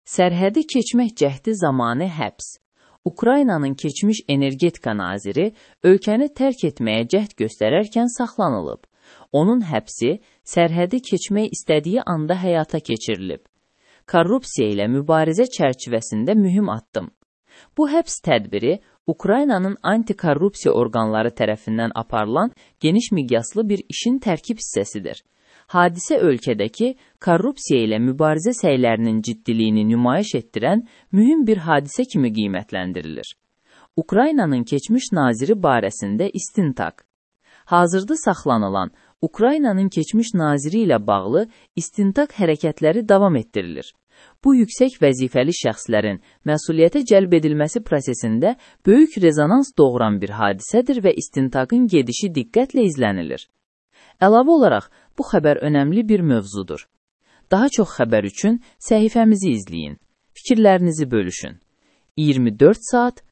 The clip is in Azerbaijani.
Sərhədi keçmək cəhdi zamanı həbs. Ukraynanın keçmiş energetika naziri ölkəni tərk etməyə cəhd göstərərkən saxlanılıb. Onun həbsi sərhədi keçmək istədiyi anda həyata keçirilib. Korrupsiya ilə mübarizə çərçivəsində mühüm addım. Bu həbs tədbiri Ukraynanın antikorrupsiya orqanları tərəfindən aparılan geniş miqyaslı bir işin tərkib hissəsidir. Hadisə ölkədəki korrupsiya ilə mübarizə səylərinin ciddiliyini nümayiş etdirən mühüm bir hadisə kimi qiymətləndirilir. Ukraynanın keçmiş naziri barəsində istintaq. Hazırda saxlanılan Ukraynanın keçmiş naziri ilə bağlı istintaq hərəkətləri davam etdirilir. Bu yüksək vəzifəli şəxslərin məsuliyyətə cəlb edilməsi prosesində böyük rezonans doğuran bir hadisədir və istintaqın gedişi diqqətlə izlənilir. Əlavə olaraq, bu xəbər önəmli bir mövzudur. Daha çox xəbər üçün səhifəmizi izləyin, fikirlərinizi bölüşün. 24 saat